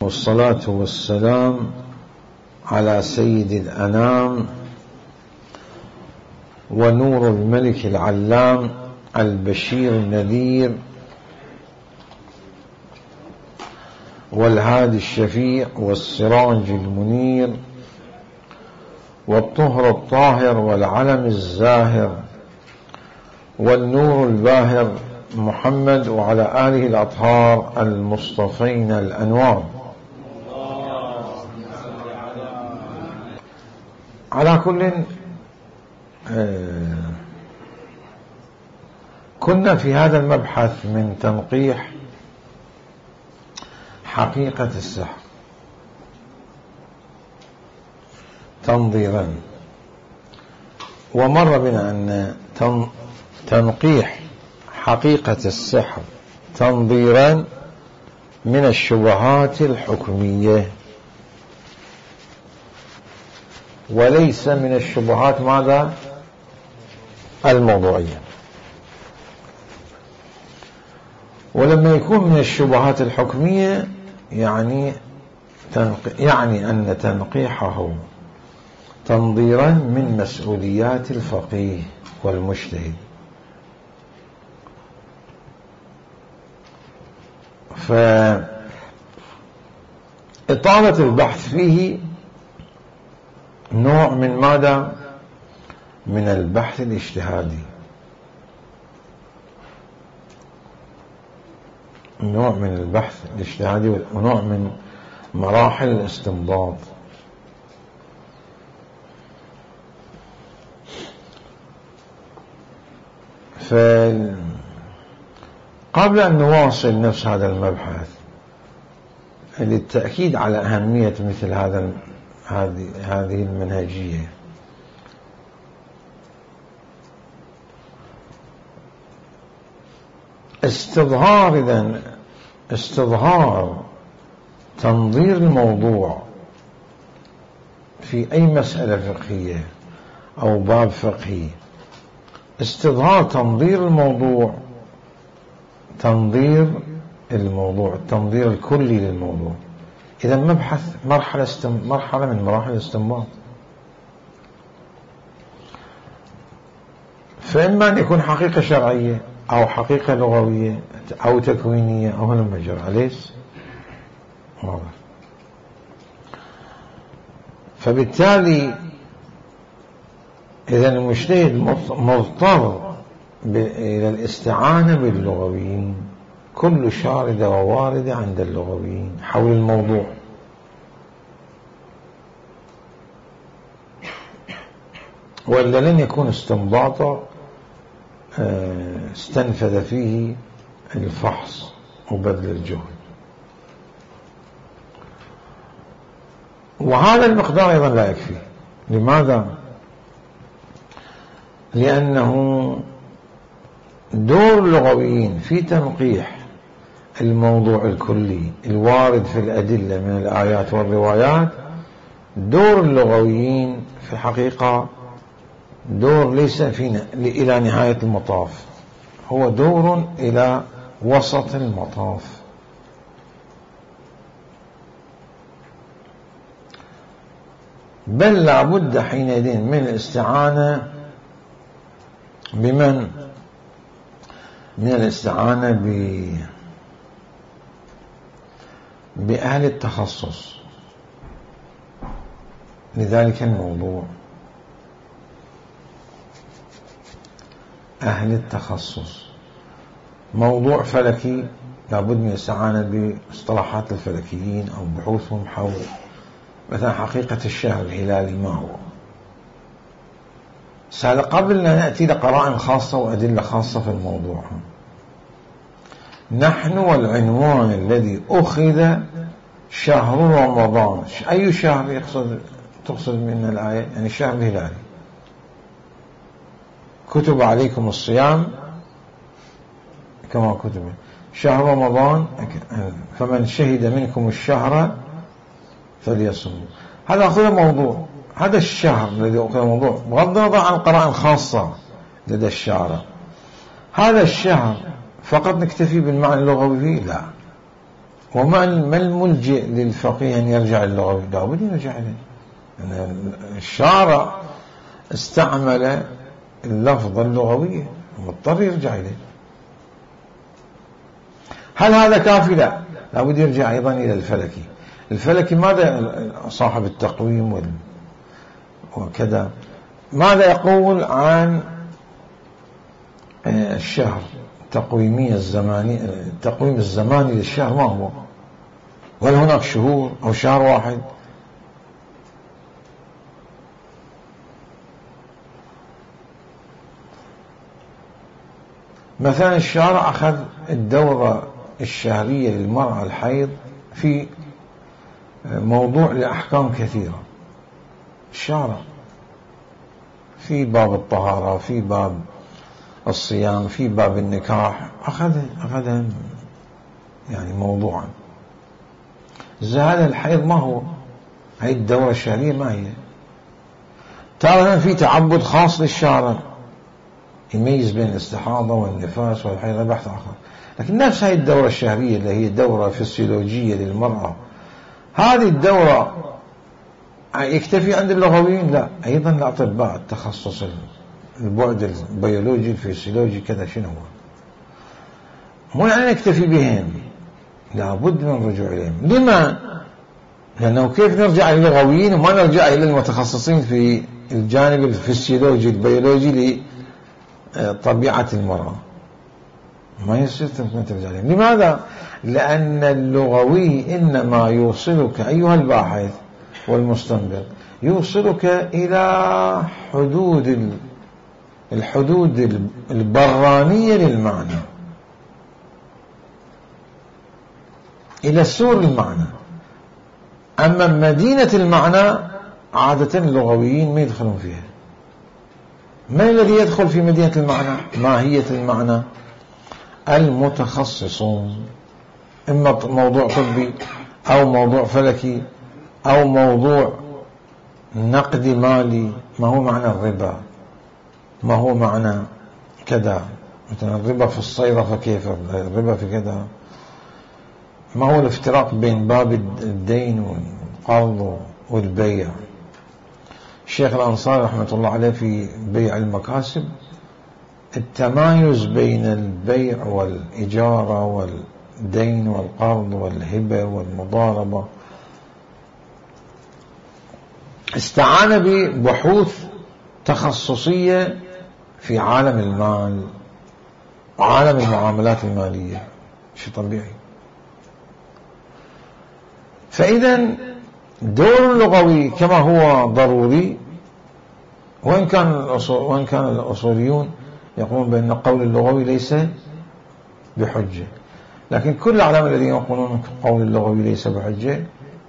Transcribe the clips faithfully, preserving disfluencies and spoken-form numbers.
والصلاة والسلام على سيد الأنام ونور الملك العلام البشير النذير والهادي الشفيع والسراج المنير والطهر الطاهر والعلم الزاهر والنور الباهر محمد وعلى آله الأطهار المصطفين الأنوار. على كل آه كنا في هذا المبحث من تنقيح حقيقة السحر تنظيرا، ومر بنا أن تنقيح حقيقة السحر تنظيرا من الشبهات الحكمية وليس من الشبهات ماذا؟ الموضوعية. ولما يكون من الشبهات الحكمية يعني يعني أن تنقيحه تنظيرا من مسؤوليات الفقيه والمجتهد، فإطالة البحث فيه نوع من ماذا؟ من البحث الاجتهادي، نوع من البحث الاجتهادي ونوع من مراحل الاستنباط. فقبل أن نواصل نفس هذا المبحث للتأكيد على أهمية مثل هذا هذه هذه المنهجية، استظهار إذن استظهار تنظير الموضوع في أي مسألة فقهية أو باب فقهي، استظهار تنظير الموضوع تنظير الموضوع التنظير الكلي للموضوع. إذا مبحث مرحلة استم... مرحلة من مراحل الاستنباط، فإما أن يكون حقيقة شرعية أو حقيقة لغوية أو تكوينية أو هل مجرى ليس واضح. فبالتالي إذا المجتهد مضطر إلى الاستعانة باللغويين، كل شاردة وواردة عند اللغويين حول الموضوع، وإلا لن يكون استنباطا استنفذ فيه الفحص وبذل الجهد. وهذا المقدار أيضا لا يكفي. لماذا؟ لأنه دور اللغويين في تنقيح الموضوع الكلي الوارد في الأدلة من الآيات والروايات، دور اللغويين في الحقيقة دور ليس فينا إلى نهاية المطاف، هو دور إلى وسط المطاف. بل لابد حينئذ من الاستعانة بمن؟ من الاستعانة ب بأهل التخصص لذلك الموضوع، أهل التخصص. موضوع فلكي لابد من الاستعانة باصطلاحات الفلكيين أو بحوثهم حول مثلا حقيقة الشهر الهلالي ما هو. سهل قبل أن نأتي لقرائن خاصة وأدلة خاصة في الموضوع، نحن والعنوان الذي أخذ شهر رمضان، أي شهر يقصد تقصد من الآية؟ يعني الشهر الهلالي. كتب عليكم الصيام كما كتب شهر رمضان فمن شهد منكم الشهر فليصم. هذا أخذ موضوع، هذا الشهر الذي أخذ موضوع بغض النظر عن قرائن خاصة لدى الشارع. هذا الشهر فقط نكتفي بالمعنى اللغوي فيه؟ لا، وما ما الملجئ للفقيه أن يرجع للغوي؟ لابد يرجع إليه. يعني الشارع استعمل اللفظ اللغوية، مضطر يرجع إليه. هل هذا كافي؟ لا، لابد يرجع أيضا إلى الفلكي. الفلكي ماذا صاحب التقويم وكذا ماذا يقول عن الشهر؟ التقويمية الزمانية، التقويم الزماني للشهر ما هو؟ وهل هناك شهور أو شهر واحد؟ مثلا الشارع أخذ الدورة الشهرية للمرأة الحيض في موضوع لأحكام كثيرة. الشارع في باب الطهارة، في باب الصيام، في باب النكاح، أخذ أخذ يعني موضوعا. هذا الحيض ما هو؟ هاي الدورة الشهرية ما هي؟ ترى في تعبد خاص للشارع يميز بين الاستحاضة والنفاس والحيض، بحث آخر. لكن نفس هاي الدورة الشهرية اللي هي دورة فسيولوجية للمرأة، هذه الدورة يكتفي عند اللغويين؟ لا، أيضا الأطباء التخصص البعد البيولوجي الفسيولوجي كذا شنو هو؟ مو يعني نكتفي بهم، لابد من الرجوع إليهم. لما؟ لأنه كيف نرجع إلى اللغويين وما نرجع إلى المتخصصين في الجانب الفسيولوجي البيولوجي لطبيعة المرأة؟ ما يصير ترجع إليهم. لماذا؟ لأن اللغوي إنما يوصلك أيها الباحث والمستنبط، يوصلك إلى حدود الحدود البرانية للمعنى، إلى سور المعنى. أما مدينة المعنى عادة اللغويين ما يدخلون فيها. ما الذي يدخل في مدينة المعنى؟ ماهية المعنى. المتخصصون، إما موضوع طبي أو موضوع فلكي أو موضوع نقدي مالي. ما هو معنى الربا؟ ما هو معنى كذا؟ مثلا الربا في الصيرفة كيف؟ الربا في كذا. ما هو الافتراق بين باب الدين والقرض والبيع؟ الشيخ الأنصاري رحمة الله عليه في بيع المكاسب التمايز بين البيع والإجارة والدين والقرض والهبة والمضاربة، استعان ببحوث تخصصية في عالم المال وعالم المعاملات المالية. شيء طبيعي. فإذا دور اللغوي كما هو ضروري، وإن كان وإن كان الأصوليون يقولون بأن القول اللغوي ليس بحجة، لكن كل العلماء الذين يقولون القول اللغوي ليس بحجة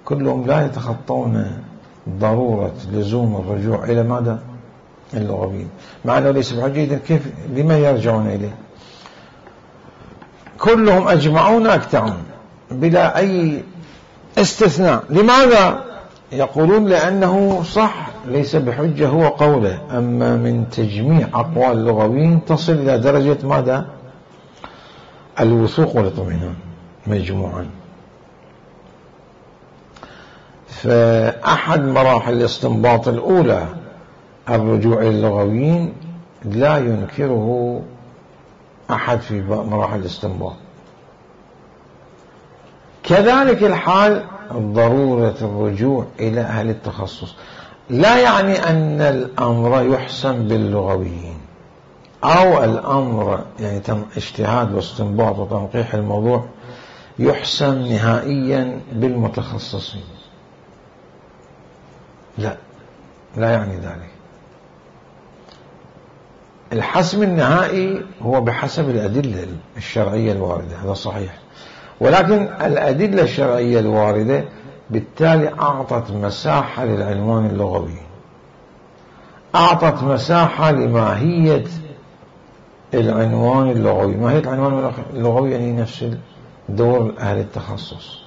كلهم لا يتخطون ضرورة لزوم الرجوع إلى ماذا؟ اللغويين. مع أنه ليس بحجة، إذن كيف لما يرجعون إليه؟ كلهم أجمعون أكتعون بلا أي استثناء. لماذا؟ يقولون لأنه صح ليس بحجة هو قوله، أما من تجميع أقوال اللغويين تصل إلى درجة ماذا؟ الوثوق والاطمئنان مجموعا. فأحد مراحل الاستنباط الأولى الرجوع إلى اللغويين لا ينكره أحد في مراحل الاستنباط. كذلك الحال ضرورة الرجوع إلى أهل التخصص. لا يعني أن الأمر يحسم باللغويين أو الأمر يعني اجتهاد واستنباط وتنقيح الموضوع يحسم نهائيا بالمتخصصين. لا، لا يعني ذلك. الحسم النهائي هو بحسب الأدلة الشرعية الواردة، هذا صحيح، ولكن الأدلة الشرعية الواردة بالتالي أعطت مساحة للعنوان اللغوي، أعطت مساحة لماهية العنوان اللغوي. ماهية العنوان اللغوي يعني نفس دور أهل التخصص.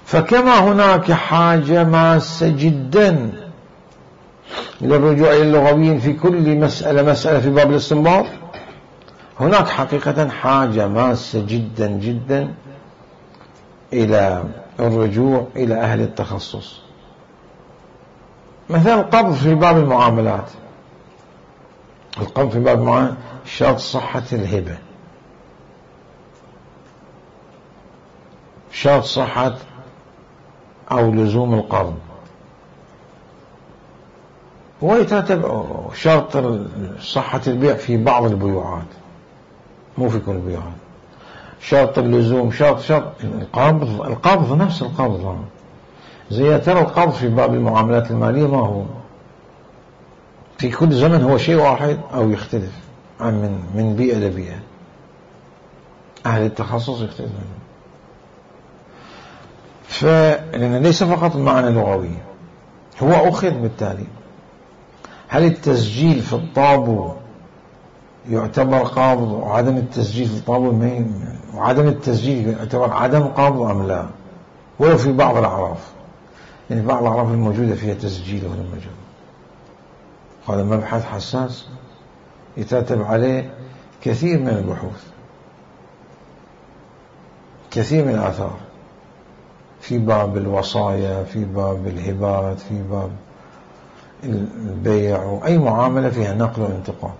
فكما هناك حاجة ماسة جدا للرجوع إلى اللغويين في كل مسألة مسألة في باب الاستنباط، هناك حقيقة حاجة ماسة جدا جدا إلى الرجوع إلى أهل التخصص. مثلا القبض في باب المعاملات، القبض في باب المعاملات شرط صحة الهبة، شرط صحة أو لزوم القرض، ويترتب شرط صحة البيع في بعض البيوعات مو في كل البيوعات، شرط اللزوم، شرط شرط القبض، القبض نفس القبض. زي ترى القبض في باب المعاملات المالية ما هو في كل زمن هو شيء واحد أو يختلف عن من من بيئة لبيئة. أهل التخصص يختلف منه، فلأن ليس فقط معنى لغوي، هو أخذ بالتالي. هل التسجيل في الطابو يعتبر قابض وعدم التسجيل في الطابو وعدم التسجيل يعتبر عدم قابض أم لا؟ ولو في بعض الأعراف، يعني بعض الأعراف الموجودة فيها تسجيل ولا موجود، هذا مبحث حساس يترتب عليه كثير من البحوث، كثير من الآثار في باب الوصايا، في باب الهبات، في باب البيع، وأي معاملة فيها نقل وانتقال.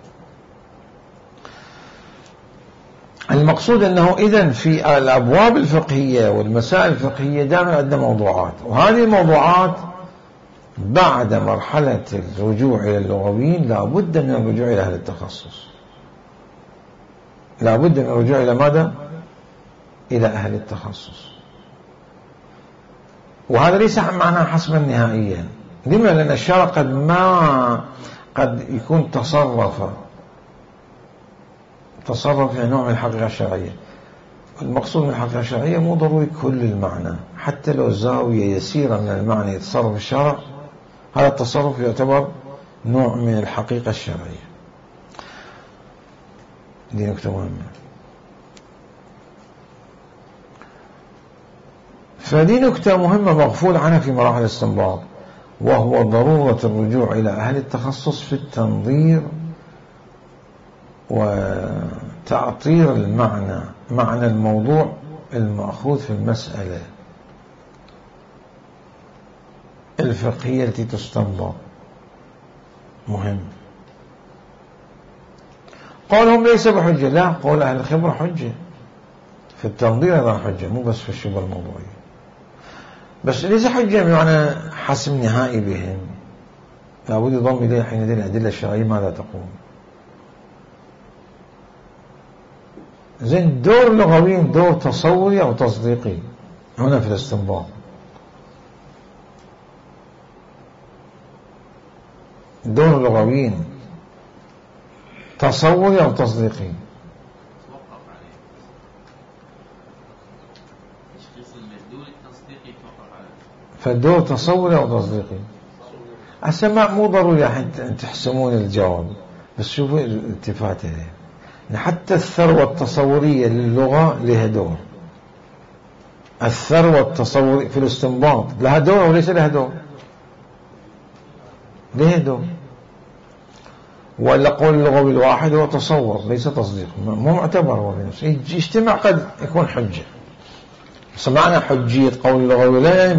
المقصود أنه إذن في الأبواب الفقهية والمسائل الفقهية دائما عندنا موضوعات، وهذه الموضوعات بعد مرحلة الرجوع إلى اللغويين لا بد من الرجوع إلى أهل التخصص، لا بد من الرجوع إلى ماذا؟ إلى أهل التخصص. وهذا ليس معناه حسما نهائيا. لما؟ لأن الشرع قد ما قد يكون تصرف تصرف في نوع من الحقيقة الشرعية. المقصود من الحقيقة الشرعية مو ضروري كل المعنى، حتى لو زاوية يسيرة من المعنى يتصرف الشرع، هذا التصرف يعتبر نوع من الحقيقة الشرعية. دي نكتة مهمة. فدي نكتة مهمة مغفول عنها في مراحل الاستنباط، وهو ضرورة الرجوع إلى أهل التخصص في التنظير وتعطير المعنى، معنى الموضوع المأخوذ في المسألة الفقهية التي تستنبط. مهم. قولهم ليس بحجة، لا، قول أهل الخبرة حجة في التنظير، هذا حجة مو بس في الشبهة الموضوعية، بس ليس حجة بمعنى حسم نهائي بهم، لابد يضم إليه حينئذ الأدلة الشرعية ماذا تقول. زين، دور اللغويين دور تصوري أو تصديقي هنا في الاستنباط؟ دور اللغويين تصوري أو تصديقي؟ فالدور تصوري أو تصديقي؟ السماع مو ضروري أن تحسمون الجواب، بس شوفوا الالتفات إليه. حتى الثروة التصورية للغة لها دور، الثروة التصورية في الاستنباط لها دور أو ليس لها دور؟ لها دور. ولا قول اللغوي الواحد هو تصور ليس تصديق، مو معتبر هو في نفسه، يجتمع قد يكون حجة. سمعنا حجية قول اللغوي لا يعني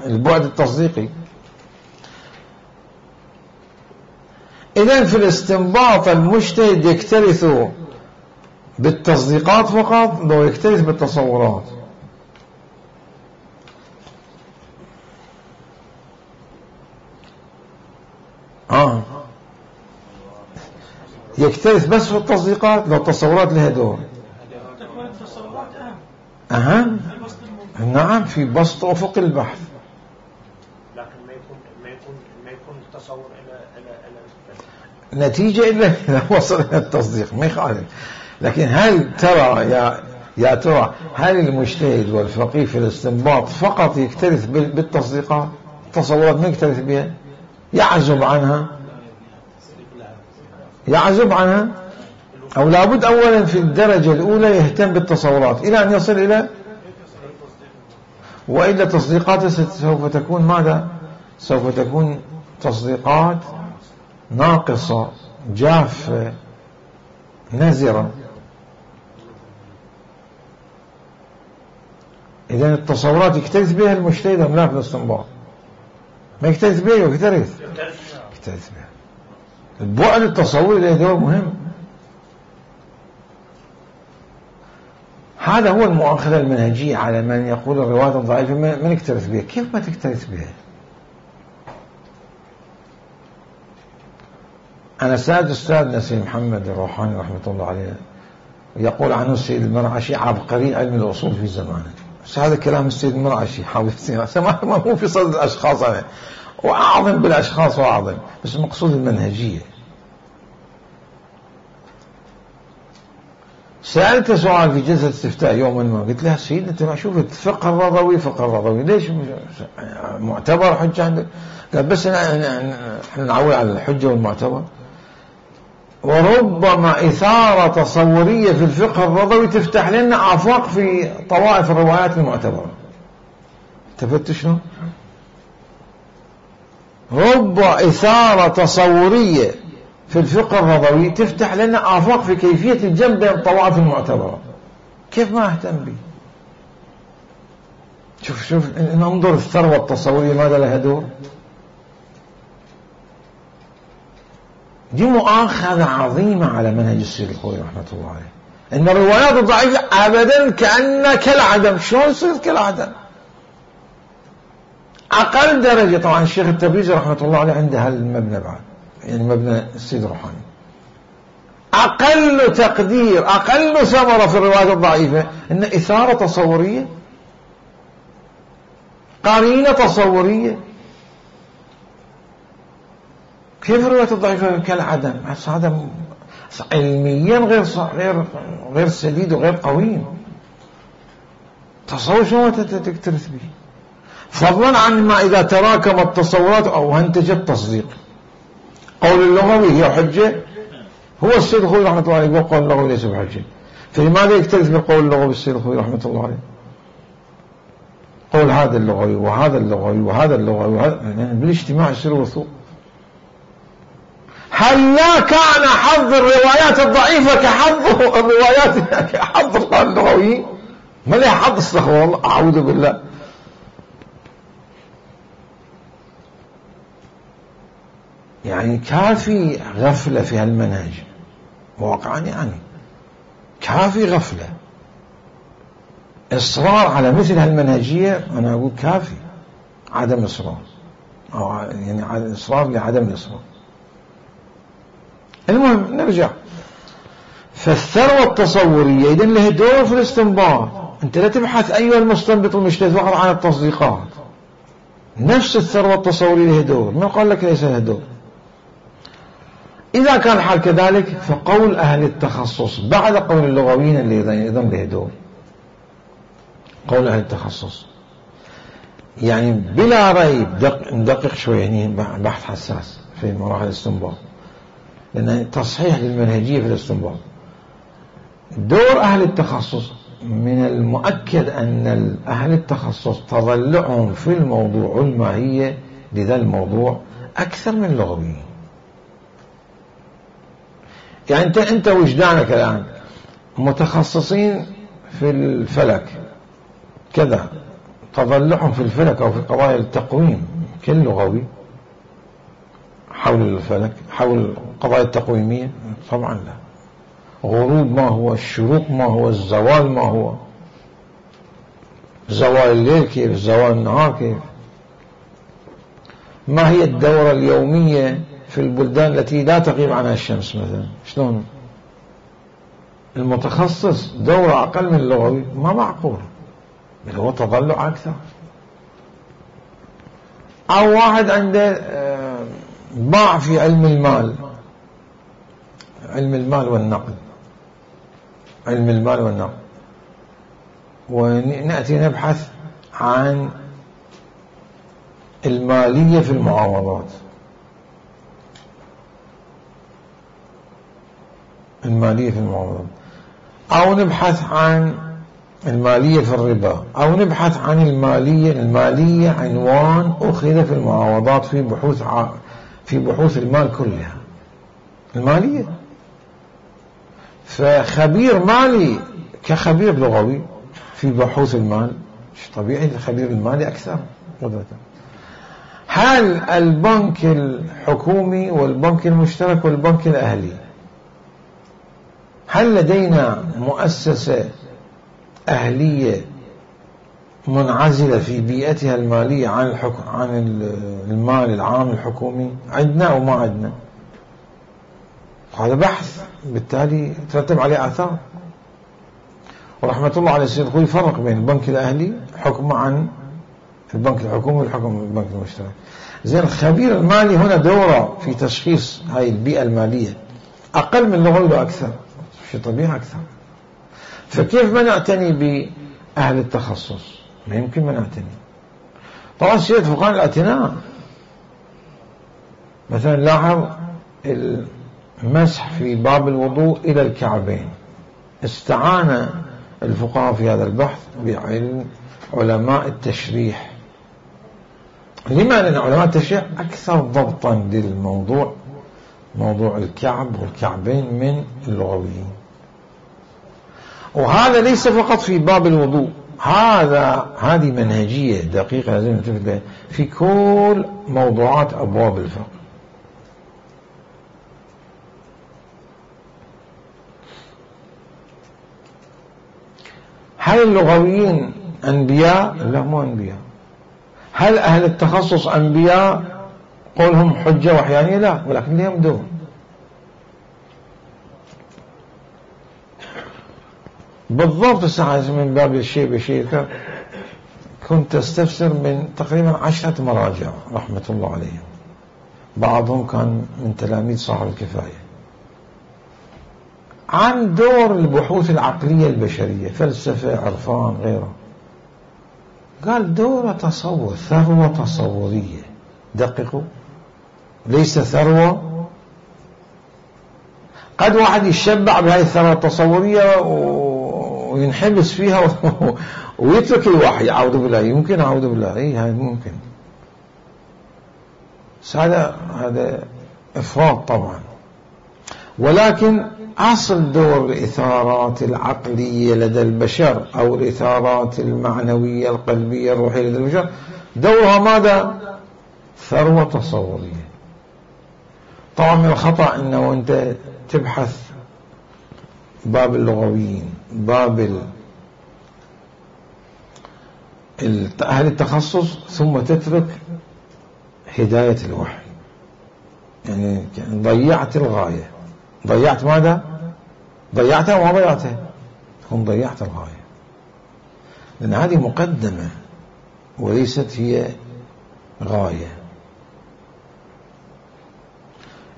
البعد التصديقي. إذن في الاستنباط المجتهد يكترث بالتصديقات فقط لو يكترث بالتصورات. آه. يكترث بس في التصديقات لو التصورات لها دور. أهم. نعم، في بسط أفق البحث. لكن ما يكون ما يكون ما يكون التصور إلى إلى إلى نتيجة إلا إذا وصل إلى التصديق ما يخالف. لكن هل ترى يا يا ترى هل المجتهد والفقيه في الاستنباط فقط يكترث بالتصديقات؟ التصورات ما يكترث بها، يعزب عنها يعزب عنها أو لابد أولا في الدرجة الأولى يهتم بالتصورات إلى أن يصل إلى، وإلا تصديقاته سوف تكون ماذا؟ سوف تكون تصديقات ناقصة جافة نزرة إذا التصورات يكترث بها المجتهد أم لا في الاستنباط؟ ما يكترث بها يكترث يكترث بها. البعد التصوري له دور مهم. هذا هو المؤاخذة المنهجية على من يقول الروايات الضعيفة ما نكترث بها. كيف ما تكترث بها؟ أنا سألت أستاذ نسيم محمد الروحاني رحمة الله عليه يقول عنه السيد المرعشي عبقري علم الأصول في زمانه. بس هذا كلام السيد المرعشي حاول سماه ما هو في صدد الأشخاص أنا وأعظم بالأشخاص وأعظم، بس مقصود المنهجية. سألت سؤال في جلسة استفتاء يوما ما، قلت له سيدنا أنت ما شوف الفقه الرضوي فقه الرضوي ليش معتبر حجة عندك؟ قال بس احنا نعول على الحجة والمعتبر. وربما إثارة تصورية في الفقه الرضوي تفتح لنا آفاق في طوائف الروايات المعتبرة. التفت شنو؟ رب إثارة تصورية في الفقه الرضوي تفتح لنا آفاق في كيفية الجمع بين الطوائف المعتبرة. كيف ما أهتم به؟ شوف شوف ننظر الثروة التصورية ماذا لها دور. دي مؤاخذة عظيمة على منهج السيد الخوئي رحمة الله عليه، إن الروايات الضعيفة أبدا كأن كالعدم. شلون يصير كالعدم؟ أقل درجة طبعا الشيخ التبريزي رحمة الله عليه عنده هالمبنى بعد، يعني مبنى السيد الروحاني. أقل تقدير أقل ثمرة في الروايات الضعيفة إن إثارة تصورية، قرينة تصورية. كيف الروايات الضعيفة كالعدم؟ هذا علميا غير غير غير سديد وغير قويم. تصور شو تكترث به، فضلا عن ما إذا تراكمت التصورات أو أنتجت تصديق. قول اللغوي هي حجة، هو السيد الخوئي رحمة الله عليه يقول قول اللغوي ليس بحجة، فلماذا يكترث بالقول اللغوي السيد الخوئي رحمة الله عليه؟ قول هذا اللغوي وهذا اللغوي وهذا اللغوي وهذا، يعني بالاجتماع يصير وثوق. هل لا كان حظ الروايات الضعيفة كحظ الروايات كحظ القول اللغوي؟ ما لها حظ، استغفر الله أعوذ بالله. يعني كافي غفلة في هالمنهج واقعا، يعني كافي غفلة. إصرار على مثل هالمنهجية أنا أقول كافي عدم إصرار، أو يعني إصرار لعدم الإصرار. المهم نرجع. فالثروة التصورية إذن له دور في الاستنباط. أنت لا تبحث أيها المستنبط المجتهد فقط عن التصديقات، نفس الثروة التصورية له دور. من قال لك ليس له دور؟ إذا كان الحال كذلك فقول أهل التخصص بعد قول اللغويين اللي أيضا له دور. قول أهل التخصص يعني بلا ريب دق ندقق شوي، يعني بحث حساس في مراحل الاستنباط، لأن تصحيح للمنهجية في الاستنباط. دور أهل التخصص من المؤكد أن أهل التخصص تضلعهم في الموضوع الماهية لذا الموضوع أكثر من اللغويين. يعني أنت أنت وجدانك الآن متخصصين في الفلك كذا، تضلعهم في الفلك أو في قضايا التقويم كل لغوي حول الفلك، حول القضايا التقويمية؟ طبعا لا. غروب ما هو، الشروق ما هو، الزوال ما هو، زوال الليل كيف، زوال النهار كيف، ما هي الدورة اليومية في البلدان التي لا تغيب عنها الشمس مثلا، شلون؟ المتخصص دورة أقل من اللغوي ما معقول، بل هو تضلع أكثر. أو واحد عنده باع في علم المال، علم المال والنقد، علم المال والنقد، ونأتي نبحث عن المالية في المعاوضات، المالية في المعاوضات، أو نبحث عن المالية في الربا، أو نبحث عن المالية. المالية عنوان أخذ في المعاوضات في بحوث ع... في بحوث المال كلها، المالية. فخبير مالي كخبير لغوي في بحوث المال طبيعي الخبير المالي أكثر قدرة. هل البنك الحكومي والبنك المشترك والبنك الأهلي، هل لدينا مؤسسة أهلية منعزلة في بيئتها المالية عن الحكم عن المال العام الحكومي؟ عندنا أو ما عندنا؟ هذا بحث بالتالي ترتب عليه آثار. ورحمة الله على السيد الخوي يفرق بين البنك الأهلي حكمه عن البنك الحكومي والحكم البنك المشترك. زين الخبير المالي هنا دوره في تشخيص هاي البيئة المالية أقل من اللغوي لو أكثر، شيء طبيعي أكثر. فكيف ما نعتني بأهل التخصص؟ ما يمكن ما نعتني. طبعا سيد فقهاء الاعتناء، مثلا لاحظ المسح في باب الوضوء إلى الكعبين، استعان الفقهاء في هذا البحث بعلم علماء التشريح. لما؟ لأن علماء التشريح أكثر ضبطا للموضوع، موضوع الكعب والكعبين، من اللغويين. وهذا ليس فقط في باب الوضوء، هذا هذه منهجية دقيقة لازم نلتفت لها في كل موضوعات أبواب الفقه. هل اللغويين أنبياء؟ لا، مو أنبياء. هل أهل التخصص أنبياء قولهم حجة وحيانية؟ لا، ولكن لهم دور. بالضبط الساعة من باب الشيء بشيء كنت استفسر من تقريبا عشرة مراجع رحمة الله عليهم، بعضهم كان من تلاميذ صاحب الكفاية، عن دور البحوث العقلية البشرية، فلسفة، عرفان، غيره. قال دور تصور، ثروة تصورية. دققوا، ليس ثروة. قد واحد يشبع بهذه الثروة التصورية وينحبس فيها ويترك الوحي، أعوذ بالله. يمكن، أعوذ بالله، إيه هذا ممكن. هذا هذا إفراط طبعا. ولكن أصل دور الإثارات العقلية لدى البشر أو الإثارات المعنوية القلبية الروحية لدى البشر، دورها ماذا؟ ثروة تصورية. طبعا من الخطأ أنه أنت تبحث باب اللغويين، باب أهل التخصص، ثم تترك هداية الوحي. يعني ضيعت الغاية. ضيعت ماذا؟ ضيعتها وما ضيعتها، هم ضيعت الغاية، لأن هذه مقدمة وليست هي غاية.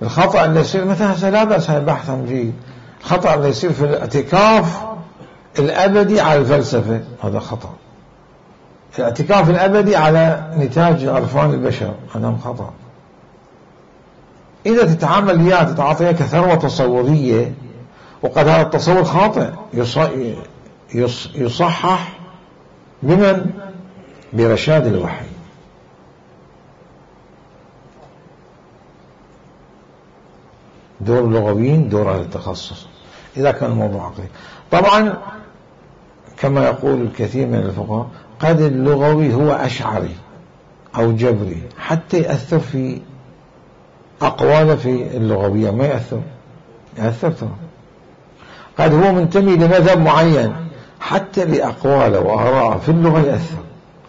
الخطأ اللي يصير مثلا لا بأس، هذا بحث جيد. الخطأ اللي يصير في الاعتكاف الأبدي على الفلسفة، هذا خطأ. الاعتكاف الأبدي على نتاج عرفان البشر، هذا خطأ. إذا تتعامل وياه تتعاطيها كثروة تصورية، وقد هذا التصور خاطئ، يصحح بمن؟ برشاد الوحي. دور اللغويين دور أهل التخصص إذا كان الموضوع عقلي. طبعا كما يقول الكثير من الفقهاء، قد اللغوي هو أشعري أو جبري حتى يأثر في أقواله في اللغوية، ما يأثر يأثر ترى. قد هو منتمي لمذهب معين حتى لأقواله وآراءه في اللغة يأثر.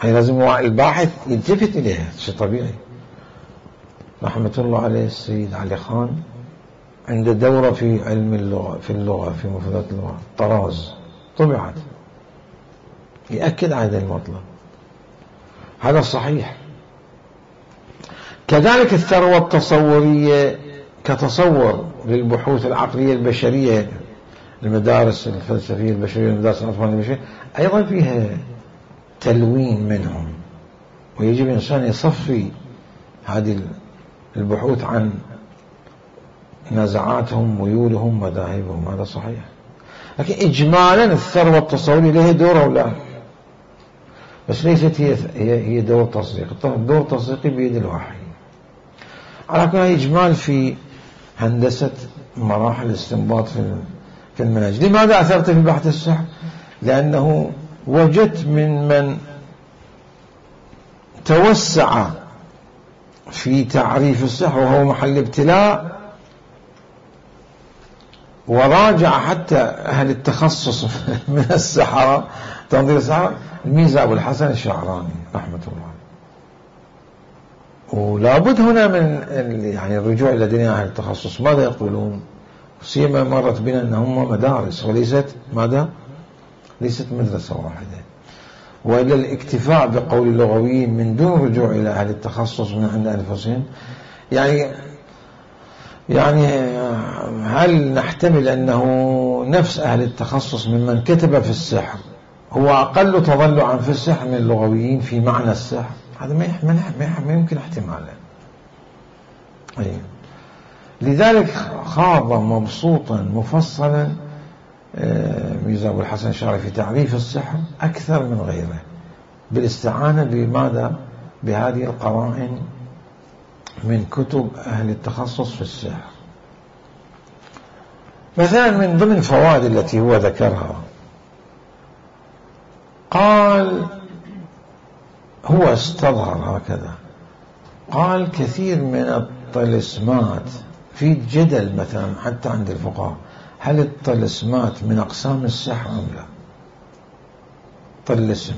هي لازم الباحث يلتفت إليها، شيء طبيعي. رحمة الله عليه السيد علي خان عنده دورة في علم اللغة، في اللغة في مفردات اللغة، طراز طبعت يأكد على هذا المطلب. هذا صحيح. كذلك الثروة التصورية كتصور للبحوث العقلية البشرية، المدارس الفلسفية البشرية، المدارس العرفانية البشرية، أيضا فيها تلوين منهم، ويجب الإنسان يصفي هذه البحوث عن نزعاتهم، ميولهم، مذاهبهم. هذا صحيح. لكن إجمالا الثروة التصورية لها دور أو لا، بس ليست هي هي دور تصديق. الدور التصديقي بيد الوحي. على كل إجمال في هندسة مراحل الاستنباط في في المنهج. لماذا أثرت في بحث السحر؟ لأنه وجدت من من توسع في تعريف السحر وهو محل ابتلاء، وراجع حتى أهل التخصص من السحرة تنظير السحرة الميزة أبو الحسن الشعراني رحمة الله. ولا بد هنا من يعني الرجوع إلى دنيا أهل التخصص. ماذا يقولون؟ سيما مرت بنا أنهم مدارس وليست ماذا؟ ليست مدرسة واحدة، وإلى الاكتفاء بقول اللغويين من دون رجوع إلى أهل التخصص من عند أنفسهم. يعني يعني هل نحتمل أنه نفس أهل التخصص ممن كتب في السحر هو أقل تضلعا في السحر من اللغويين في معنى السحر؟ هذا ما يحمل ما يمكن احتماله. أي لذلك خاض مبسوطا مفصلا ميزة أبو الحسن الشعراني في تعريف السحر أكثر من غيره، بالاستعانة بماذا؟ بهذه القرائن من كتب أهل التخصص في السحر. مثلا من ضمن الفوائد التي هو ذكرها، قال هو استظهر هكذا، قال كثير من الطلسمات في جدل مثلا حتى عند الفقهاء، هل الطلسمات من أقسام السحر أم لا؟ طلسم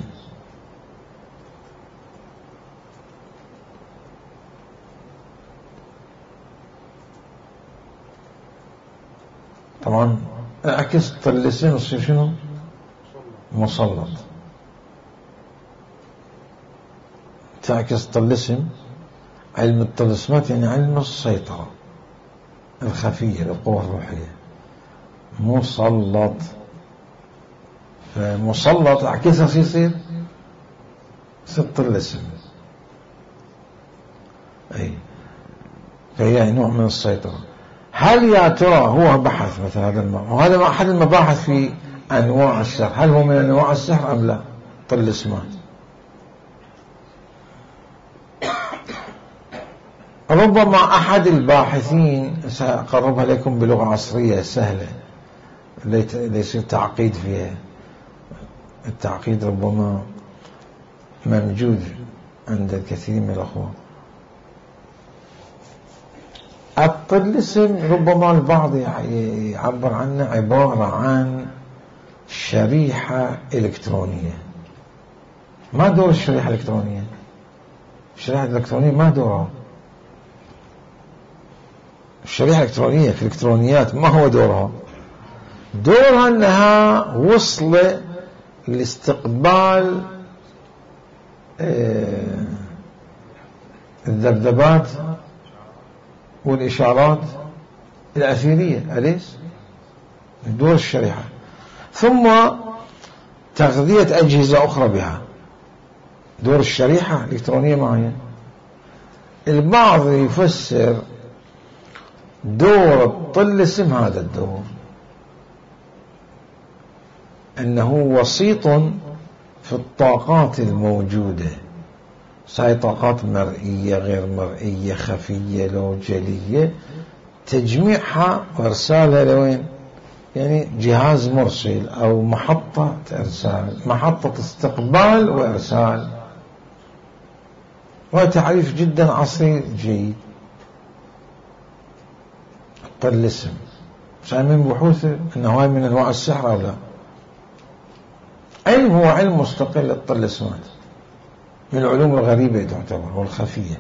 طبعا اعكس طلسم يصير شنو؟ مسلط. تعكس طلسم علم الطلسمات يعني علم السيطرة الخفية للقوى الروحية. مسلط، فمسلط اعكسها يصير يصير طلسم. اي فهي نوع من السيطرة. هل يا ترى هو بحث مثل هذا الموضوع، وهذا أحد المباحث في أنواع السحر، هل هو من أنواع السحر أم لا؟ طلسمات. ربما أحد الباحثين سأقربها لكم بلغة عصرية سهلة ليس تعقيد فيها، التعقيد ربما موجود عند الكثير من الأخوة. الطلسم ربما البعض يعبر عنه عبارة عن شريحة إلكترونية. ما دور الشريحة الإلكترونية؟ الشريحة الإلكترونية ما دورها. الشريحة الإلكترونية في الإلكترونيات ما هو دورها؟ دورها أنها وصل لاستقبال الذبذبات والإشارات الأثيرية، أليس؟ دور الشريحة، ثم تغذية أجهزة أخرى بها. دور الشريحة الإلكترونية معين. البعض يفسر دور الطلسم هذا الدور أنه وسيط في الطاقات الموجودة، هاي طاقات مرئية غير مرئية خفية لو جلية، تجميعها وارسالها لوين؟ يعني جهاز مرسل أو محطة إرسال، محطة استقبال وإرسال. وتعريف جدا عصري جيد. الطلسم صار من بحوث أنه هاي من أنواع السحر أو لا. علم هو علم مستقل الطلسمات، من العلوم الغريبة تعتبر والخفية.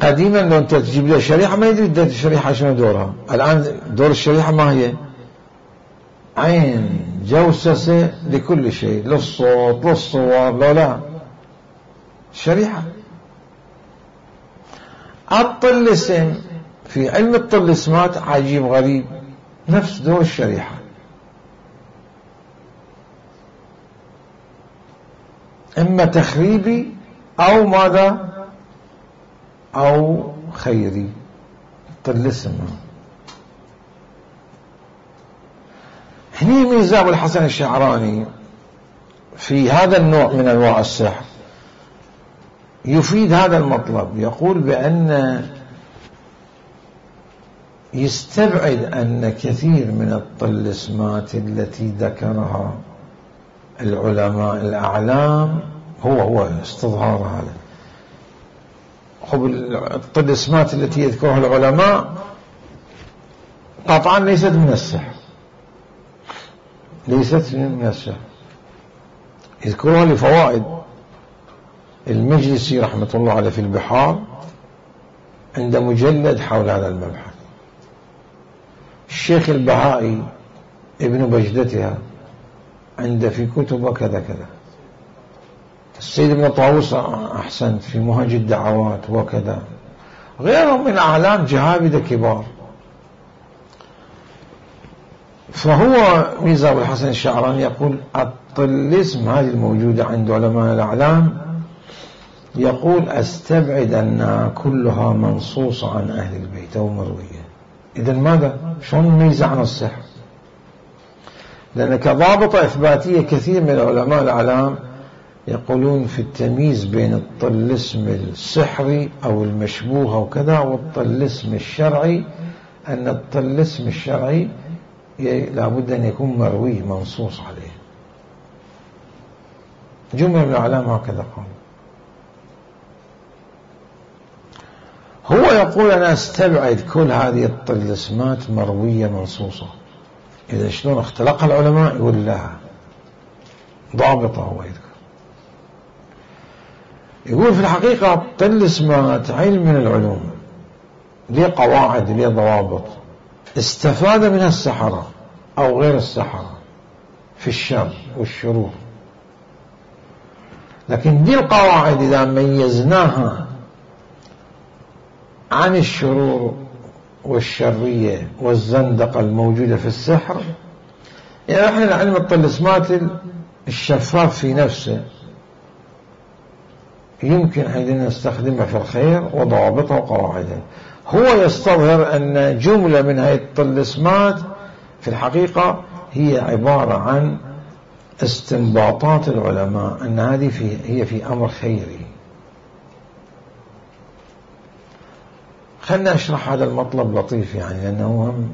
قديما لو أنت تجيب له شريحة ما يدري الشريحة شنو دورها. الآن دور الشريحة ما هي؟ عين جوسسة لكل شيء، للصوت للصور لو لا شريحة. الطلسم في علم الطلسمات عجيب غريب، نفس دور الشريحة. إما تخريبي أو ماذا؟ أو خيري. طلسم. هني ميزة أبو الحسن الشعراني في هذا النوع من أنواع السحر يفيد هذا المطلب. يقول بأن يستبعد أن كثير من الطلسمات التي ذكرها العلماء الأعلام هو هو استظهار هذا. خب الطلسمات التي يذكرها العلماء قطعا ليست من السحر، ليست من السحر، يذكرها لفوائد. المجلسي رحمة الله عليه في البحار عند مجلد حول هذا المبحث. الشيخ البهائي ابن بجدتها عند في كتب كذا كذا. السيد ابن طاووس أحسنت في منهج الدعوات وكذا، غيرهم من أعلام جهابذة كبار. فهو ميزة أبو الحسن الشعراني يقول الطلسم هذه الموجودة عند علماء الأعلام، يقول أستبعد أنها كلها منصوصة عن أهل البيت أو مروية. إذن ماذا؟ شلون نميزة عن السحر؟ لأن كضابطة إثباتية كثير من علماء الأعلام يقولون في التمييز بين الطلسم السحري أو المشبوه وكذا والطلسم الشرعي، أن الطلسم الشرعي لابد أن يكون مروي منصوص عليه. جملة من الأعلام هكذا قال. هو يقول أنا أستبعد كل هذه الطلسمات مروية منصوصة. إذا شلون اختلقها العلماء؟ يقول لها ضابطة. هو يذكر يقول في الحقيقة الطلسمات علم من العلوم، ليه قواعد ليه ضوابط استفاد منها السحرة أو غير السحرة في الشر والشرور. لكن دي القواعد إذا ميزناها عن الشرور والشرية والزندقة الموجودة في السحر، يعني احنا علم الطلسمات الشفاف في نفسه يمكن حين نستخدمها في الخير وضوابطها وقواعدها. هو يستظهر أن جملة من هذه الطلسمات في الحقيقة هي عبارة عن استنباطات العلماء، أن هذه في هي في أمر خيري. خلنا أشرح هذا المطلب لطيف يعني، لأنه هم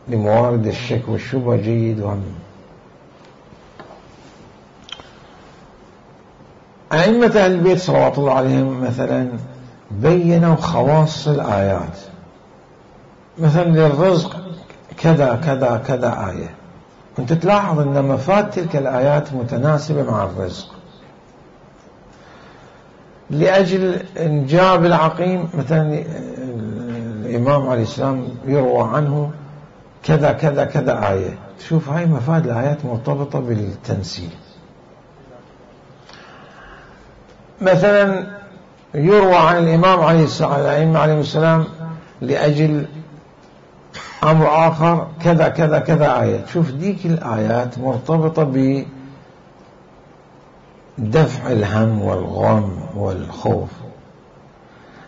لموارد الشك والشبهة جيد. وهم أئمة أهل البيت صلوات الله عليهم مثلا بينوا خواص الآيات، مثلا للرزق كذا كذا كذا آية، وانت تلاحظ أن مفاد تلك الآيات متناسبة مع الرزق. لأجل إنجاب العقيم مثلا الإمام عليه السلام يروى عنه كذا كذا كذا آية، تشوف هاي مفاد الآيات مرتبطة بالتنسيل. مثلا يروى عن الإمام عليه السلام الأئمة عليه السلام لأجل أمر آخر كذا كذا كذا آية، تشوف ديك الآيات مرتبطة بدفع الهم والغم والخوف.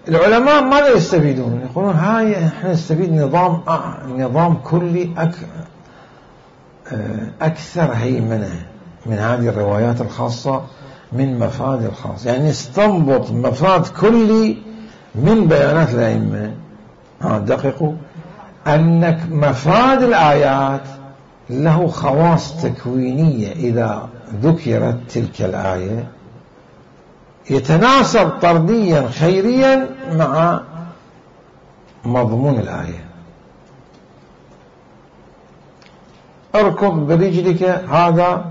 العلماء ماذا يستفيدون؟ يقولون هاي احنا نستفيد نظام نظام كلي أك أكثر هيمنة من هذه الروايات الخاصة من مفاد الخاص، يعني نستنبط مفاد كلي من بيانات الأئمة. ها دققوا أنك مفاد الآيات له خواص تكوينية، إذا ذكرت تلك الآية يتناسب طرديا خيريا مع مضمون الآية. اركض برجلك هذا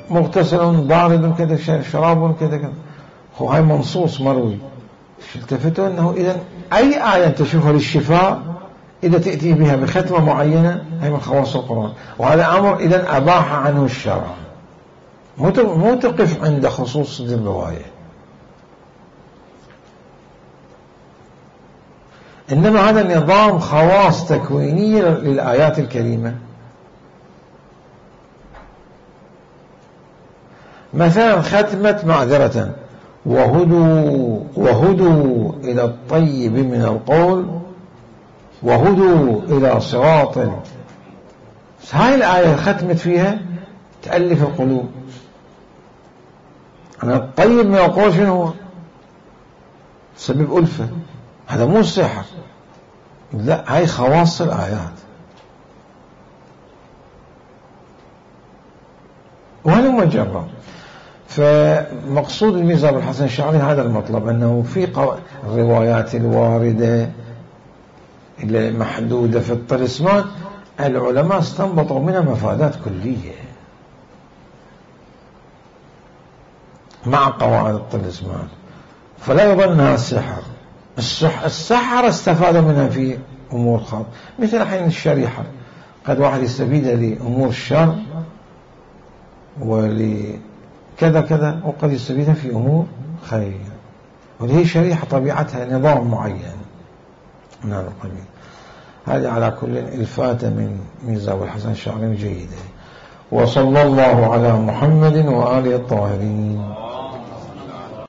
مغتسل بارد كذا شراب كذا كذا، هو هاي منصوص مروي. التفتوا أنه إذن أي آية تشوفها للشفاء إذا تأتي بها بختمة معينة هي من خواص القرآن، وهذا أمر إذن أباح عنه الشرع، مو تقف عند خصوص الرواية، إنما هذا نظام خواص تكوينية للآيات الكريمة. مثلا ختمة معذرة وهدوا وهدوا إلى الطيب من القول وهدوا إلى صراط. هاي الآية ختمت فيها تألف القلوب. أنا الطيب من القول شنو هو؟ سبب ألفة، هذا مو سحر، لا هاي خواص الآيات. وهذا مجرد. فمقصود الميزة بالحسن الشعري هذا المطلب، أنه في الروايات الواردة المحدودة في الطلسمان العلماء استنبطوا منها مفادات كلية مع قواعد الطلسمان، فلا يظن أنها السحر. السحر استفادوا منها في أمور خاصة، مثل حين الشريحة قد واحد يستفيد لأمور الشر ولكذا كذا، وقد يستفيدها في أمور خير، وهي شريحة طبيعتها نظام معين من هذا القبيل. هذه على كل الفاتة من ميزة والحسن الشعري جيدة. وصلى الله على محمد وآله الطاهرين.